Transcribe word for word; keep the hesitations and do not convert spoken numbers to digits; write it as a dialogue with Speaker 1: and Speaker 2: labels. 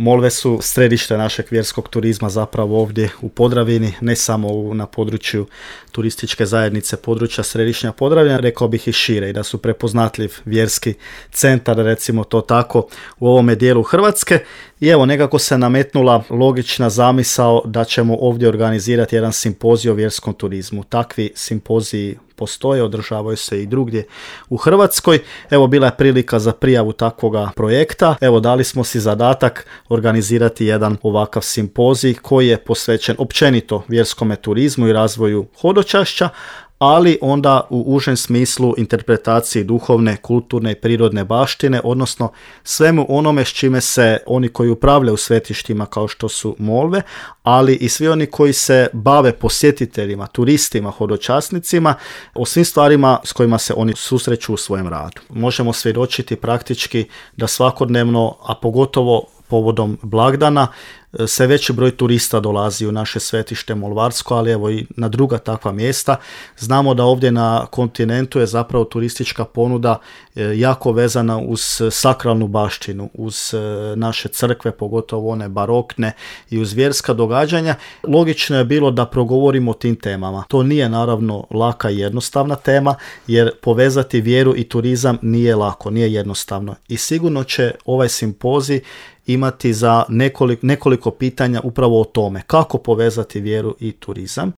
Speaker 1: Molve su središte našeg vjerskog turizma zapravo ovdje u Podravini, ne samo u, na području turističke zajednice područja Središnja Podravina, rekao bih i šire, i da su prepoznatljiv vjerski centar, recimo to tako, u ovome dijelu Hrvatske. I evo, nekako se nametnula logična zamisao da ćemo ovdje organizirati jedan simpozij o vjerskom turizmu. Takvi simpoziji postoje, održavaju se i drugdje u Hrvatskoj. Evo, bila je prilika za prijavu takvoga projekta. Evo, dali smo si zadatak organizirati jedan ovakav simpozij koji je posvećen općenito vjerskome turizmu i razvoju hodočašća, ali onda u užem smislu interpretaciji duhovne, kulturne i prirodne baštine, odnosno svemu onome s čime se oni koji upravljaju svetištima kao što su molve, ali i svi oni koji se bave posjetiteljima, turistima, hodočasnicima, o svim stvarima s kojima se oni susreću u svojem radu. Možemo svjedočiti praktički da svakodnevno, a pogotovo povodom blagdana, sve veći broj turista dolazi u naše svetište Molvarsko, ali evo i na druga takva mjesta. Znamo da ovdje na kontinentu je zapravo turistička ponuda jako vezana uz sakralnu baštinu, uz naše crkve, pogotovo one barokne, i uz vjerska događanja. Logično je bilo da progovorimo o tim temama. To nije naravno laka i jednostavna tema, jer povezati vjeru i turizam nije lako, nije jednostavno. I sigurno će ovaj simpozij imati za nekoliko, nekoliko pitanja upravo o tome kako povezati vjeru i turizam.